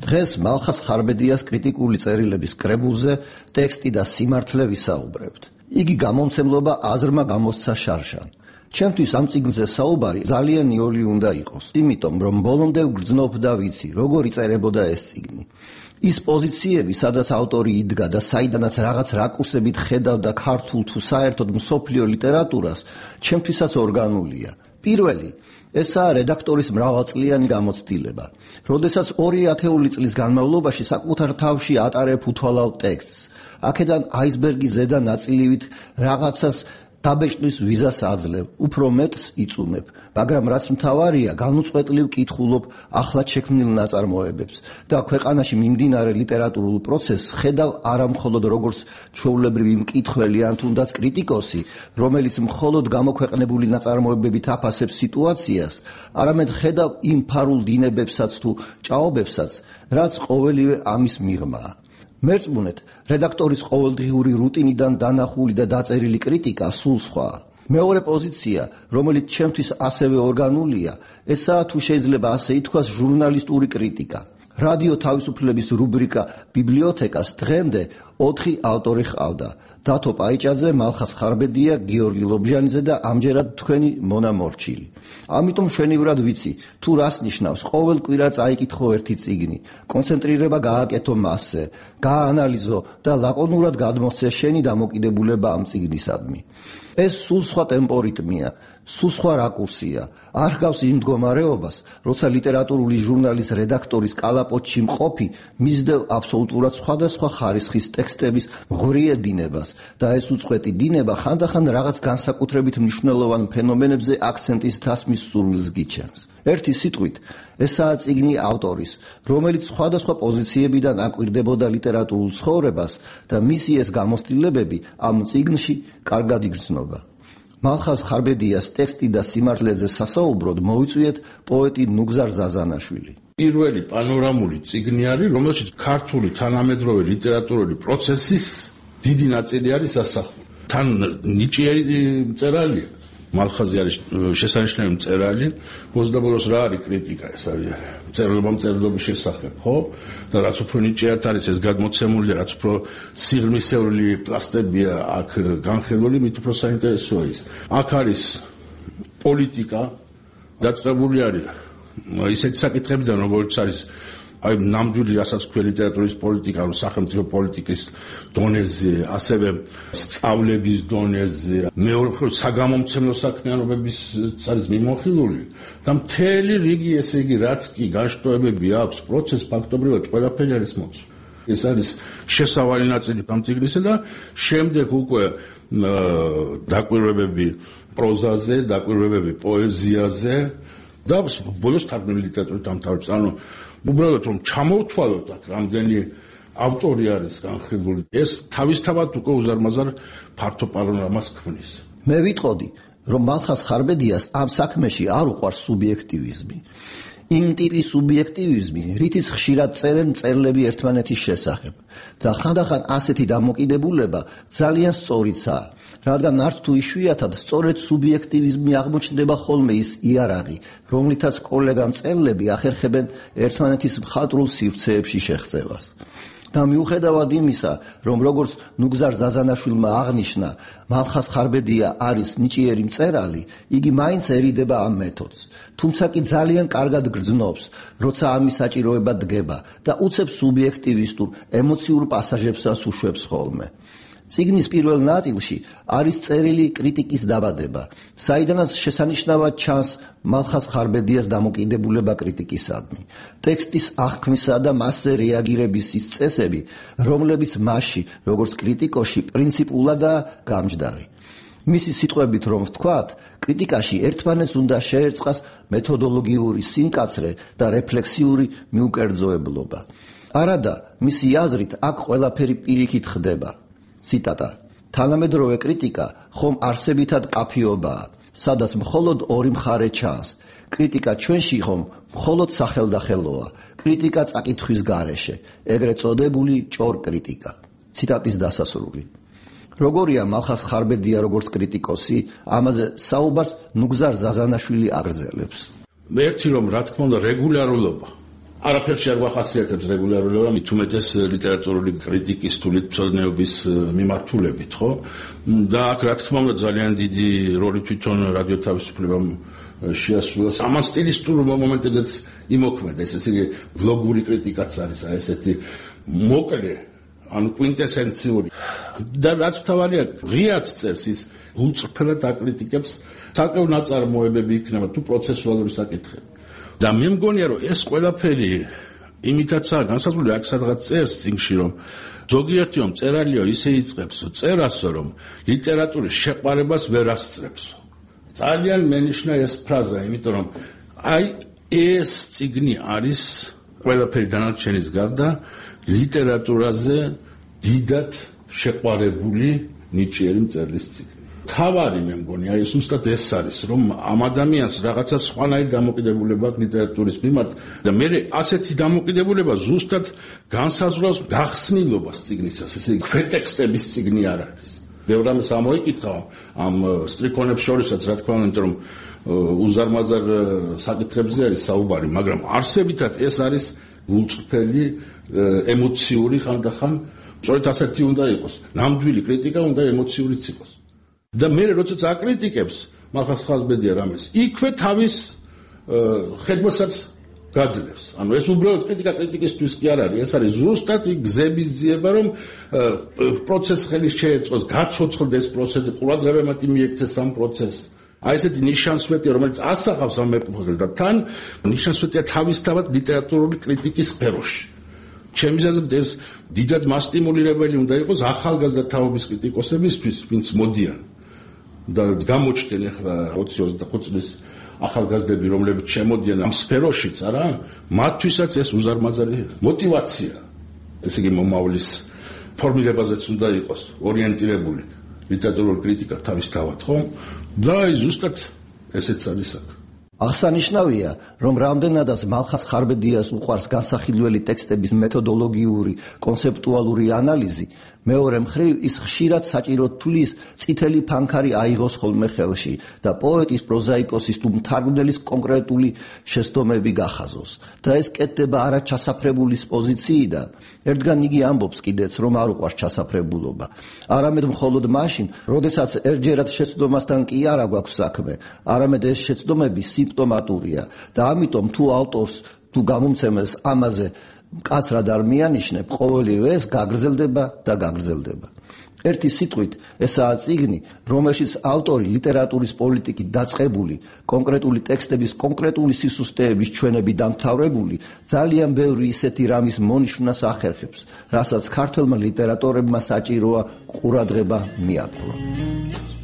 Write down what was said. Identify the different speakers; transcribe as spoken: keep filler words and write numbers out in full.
Speaker 1: დღეს მალხაზ ხარბედიას კრიტიკული წერილების კრებულზე ტექსტი და სიმართლე ვისაუბრებთ. იგი გამომცემლობა აზრმა გამოსცა შარშან. ჩემთვის ამ წიგნზე საუბარი ძალიან იოლი უნდა იყოს, იმიტომ რომ ბოლომდე ვგრძნობ და ვიცი, როგორ იწერებოდა ეს წიგნი. ის პოზიციები, სადაც ავტორი იდგა და საიდანაც რაღაც რაკურსებით ხედავდა ქართულ თუ საერთოდ მსოფლიო ლიტერატურას, ჩემთვისაც ორგანულია. პირველი, ესაა რედაქტორის მრავალწლიანი გამოცდილება. როდესაც ორი ათეული წლის განმავლობაში საკუთარ თავში ატარებ უთვალავ ტექსტს. აქედან აისბერგის ზედა ნაწილივით რაღაცას დაბეჭდვის ვიზას აძლევ, უფრო მეტს იწუნებ, მაგრამ რაც მთავარია, განუწყვეტლივ კითხულობ ახლად შექმნილ ნაწარმოებებს და ქვეყანაში მიმდინარე ლიტერატურულ პროცესს ხედავ არა მხოლოდ როგორც ჩვეულებრივი მკითხველი ან თუნდაც კრიტიკოსი, რომელიც მხოლოდ გამოქვეყნებული ნაწარმოებებით აფასებს სიტუაციას, არამედ ხედავ იმ ფარულ დინებებსაც თუ ჭაობებსაც, რაც ყოველივე ამის მიღმაა. მერწმუნეთ, რედაქტორის ყოველდღიური რუტინიდან დანახული და დაწერილი კრიტიკა სულ სხვაა. მეორე პოზიცია, რომელიც ჩემთვის ასევე ორგანულია, ესაა თუ შეიძლება ასე ითქვას ჟურნალისტური კრიტიკა. რადიო თავისუფლების რუბრიკა ბიბლიოთეკას დღემდე ოთხი ავტორი ჰყავდა: დათო პაიჭაძე, მალხაზ ხარბედია, გიორგი ლობჟანიძე და ამჯერად თქვენი მონა მორჩილი. ამიტომ მშვენივრად ვიცი, თუ რას ნიშნავს ყოველ კვირა წაიკითხო ერთი წიგნი, კონცენტრირება გააკეთო მასზე, გააანალიზო და ლაკონურად გადმოსცე შენი დამოკიდებულება ამ წიგნისადმი. ეს სულ სხვა ტემპორიტმია, სულ სხვა რაკურსია. არ ჰგავს იმ მდგომარეობას, როცა ლიტერატურული ჟურნალის რედაქტორის კალაპოტში მყოფი მისდევ აბსოლუტურად სხვადასხვა ხარისხის ტექსტების მღვრიე დინებას და ეს უწყვეტი დინება ხანდახან რაღაც განსაკუთრებით მნიშვნელოვან ფენომენებზე აქცენტის თასმის სურვილს გიჩენს. ერთი სიტყვით, ესაა წიგნი ავტორის, რომელიც სხვადასხვა პოზიციებიდან აკვირდებოდა ლიტერატურულ ცხოვრებას და მისი ეს გამოცდილებები ამ წიგნში კარგად იგრძნობა. მალხაზ ხარბედიას ტექსტი და სიმართლეზე სასაუბროდ მოვიწვიეთ პოეტი ნუგზარ ზაზანაშვილი.
Speaker 2: პირველი პანორამული წიგნი არის, რომელშიც ქართული თანამედროვე ლიტერატურული პროცესის დიდი ნაწილი არის ასახული. თან ნიჭიერი მწერალია. მალხაზი არის შესანიშნავი მწერალი, ბოლოს რა არის კრიტიკა, ეს არის მწერლობა მწერლობის შესახებ, ხო? და რაც უფრო ნიჭიერად არის ეს გადმოცემული, რაც უფრო სიღრმისეული პლასტებია აქ განხილული, მით უფრო საინტერესოა ის. აქ არის პოლიტიკა, დაწყებული არის ისეთი საკითხებიდან, როგორც არის აი ნამდვილი რასაც ქვია ლიტერატურის პოლიტიკა, სახელმწიფო პოლიტიკის დონეზე, ასევე სწავლების დონეზე, მეორე საგამომცემლო საქმიანობების არის მიმოხილული და მთელი რიგი, ესე იგი, რაც კი განშტოებები აქვს პროცესს, ფაქტობრივად ყველაფერი არის მოცული. ეს არის შესავალი ნაწილი ამ წიგნისა და შემდეგ უკვე დაკვირვებები პროზაზე, დაკვირვებები პოეზიაზე და ბოლოს თარგმნილი ლიტერატურის დამთავრების. ანუ უბრალოდ რომ ჩამოვთვალოთ აქ რამდენი ავტორი არის განხილული, ეს თავისთავად უკვე უზარმაზარ ფართო პანორამას ქმნის.
Speaker 1: მე ვიტყოდი, რომ მალხაზ ხარბედიას ამ საქმეში არ უყვარს სუბიექტივიზმი. იმ ტიპის სუბიექტივიზმი, რითიც ხშირად წერენ მწერლები ერთმანეთის შესახებ და ხანდახან ასეთი დამოკიდებულება ძალიან სწორიცაა, რადგან არც თუ იშვიათად სწორედ სუბიექტივიზმი აღმოჩნდება ხოლმე ის იარაღი, რომლითაც კოლეგა მწერლები ახერხებენ ერთმანეთის მხატვრულ სივრცეებში შეღწევას. და მიუხედავად იმისა, რომ როგორც ნუგზარ ზაზანაშვილმა აღნიშნა, მალხაზ ხარბედია არის ნიჭიერი მწერალი, იგი მაინც ერიდება ამ მეთოდს. თუმცა კი ძალიან კარგად გრძნობს, როცა ამის საჭიროება დგება და უცებ სუბიექტივისტურ, ემოციურ პასაჟებსაც უშვებს ხოლმე. წიგნის პირველ ნაწილში არის წერილი კრიტიკის დაბადება, საიდანაც შესანიშნავად ჩანს მალხაზ ხარბედიას დამოკიდებულება კრიტიკისადმი. ტექსტის აღქმისა და მასზე რეაგირების ის წესები, რომლებიც მასში, როგორც კრიტიკოში, პრინციპულადაა გამჯდარი. მისი სიტყვებით რომ ვთქვათ, კრიტიკაში ერთმანეთს უნდა შეერწყას მეთოდოლოგიური სიმკაცრე და რეფლექსიური მიუკერძოებლობა. არადა, მისი აზრით, აქ ყველაფერი პირიქით ხდება. ციტატა: თანამედროვე კრიტიკა ხომ არსებითად კაფიობაა, სადაც მხოლოდ ორი მხარე ჩანს. კრიტიკა ჩვენში ხომ მხოლოდ სახელდახელოა. კრიტიკა წაკითხვის გარეშე, ეგრეთ წოდებული ჭორ კრიტიკა. ციტატის დასასრული. როგორია მალხაზ ხარბედია როგორც კრიტიკოსი, ამაზე საუბარს ნუგზარ ზაზანაშვილი აგრძელებს.
Speaker 2: ერთი რომ რა თქმა უნდა რეგულარულად არაფერში არ გვახასიათებს რეგულარულად, მით უმეტეს ლიტერატურული კრიტიკის თუ მცოდნეობის მიმართულებით, ხო? და აქ რა თქმა უნდა ძალიან დიდი როლი თვითონ რადიო თავისუფლებამ შეასრულა. ამან სტილისტურ მომენტებზეც იმოქმედა, ესეც იგი ბლოგური კრიტიკაც არის, აი ესეთი მოკლე, ანუ კვინტესენციური. და რაც მთავარია, ღიად წერს ის უწრფელად აკრიტიკებს საკეულ ნაწარმოებები იქნება თუ პროცესუალური საკითხები. და მე მგონია რომ ეს ყველაფერი იმითაცაა განსაზღვრული აქ სადღაც წერს წიგნში რომ ზოგიერთი რომ წერალიო ისე იწყებს წერას რომ ლიტერატურის შეყვარებას ვერ ასწრებს. ძალიან მენიშნა ეს ფრაზა, იმიტომ რომ აი ეს წიგნი არის ყველაფერი დანარჩენის გარდა ლიტერატურაზე დიდად შეყვარებული ნიჭიერი მწერლის წიგნი. თავარი მე მგონი, აი ზუსტად ეს არის, რომ ამ ადამიანს რაღაცა სხვანაირი დამოკიდებულება აქვს ლიტერატურის მიმართ და მე ასეთი დამოკიდებულება ზუსტად განსაზღვრავს გახსნილობას წიგნისას, ესე იგი ქვეტექსტების წიგნი არ არის. ბევრ რამეს ამოიკითხა ამ სტრიქონებს შორისაც, რა თქმა უნდა, რომ უზარმაზარ საკითხებზე არის საუბარი, მაგრამ არსებითად ეს არის უწყფელი ემოციური ხანდახან, სწორედ ასეთი უნდა იყოს. ნამდვილი კრიტიკა უნდა ემოციურიც იყოს. და მე როდესაც აკრიტიკებს მახას ხალბედია რამეს იქვე თავის ხედვასაც გაძლევს. ანუ ეს უბრალოდ კრიტიკა კრიტიკისთვის კი არ არის, ეს არის ზუსტად გზების ძიება, რომ პროცესს ხელი შეეწყოს, გაცოცხლდეს პროცესი, ყურადღებამატ მიექცეს ამ პროცესს. აი ესეთი ნიშანსვეტია, რომელიც ასახავს ამ ეპოქას და თან ნიშანსვეტია თავისთავად ლიტერატურული კრიტიკის სფეროში. ჩემი აზრით ეს დიდად მასტიმულირებელი უნდა იყოს ახალგაზრდა თაობის კრიტიკოსებისთვის, ვინც მოდიან და გამოჩნდნენ ახლა ოცი ოცდახუთი წლის ახალგაზრდები, რომლებიც შემოდიან ამ სფეროშიც, არა? მათთვისაც ეს უზარმაზარი мотиваცია. ესე იგი მომავლის ფორმირებაზეც უნდა იყოს ორიენტირებული ლიტერატურული კრიტიკა თავისთავად, ხო? და აი ზუსტად ესეც არის აქ.
Speaker 1: აღსანიშნავია, რომ რამდენადაც მალხას ხარბედიას უყვარს განსახილველი ტექსტების მეთოდოლოგიური, კონცეპტუალური ანალიზი, მეორე მხრივ ის ხშირად საჭირო თulis წითელი ფანქარი აიღოს ხოლმე ხელში და პოეტის, პროზაიკოსის თუ მთარგმნელის კონკრეტული შეცდომები გახაზოს. და ეს კეთდება არა ჩასაფრებულის პოზიციიდან. ერთგან იგი ამბობს კიდეც, რომ არ უყვარს ჩასაფრებულობა. არამედ მხოლოდ მაშინ, როდესაც ერთჯერად შეცდომასთან კი არა გვაქვს საქმე, არამედ ეს შეცდომები სიმპტომატურია და ამიტომ თუ ავტორს თუ გამომცემელს ამაზე მკაცრად არ მიანიშნებ, ყოველივე ეს გაგრძელდება და გაგრძელდება. ერთი სიტყვით, ესაა წიგნი, რომელშიც ავტორი ლიტერატურის პოლიტიკით დაწყებული, კონკრეტული ტექსტების კონკრეტული სისუსტეების ჩვენები დამთავრებული, ძალიან ბევრი ისეთი რამის მონიშნვას ახერხებს, რასაც ქართველმა ლიტერატორებმა საჭიროა ყურადღება მიაპყრონ.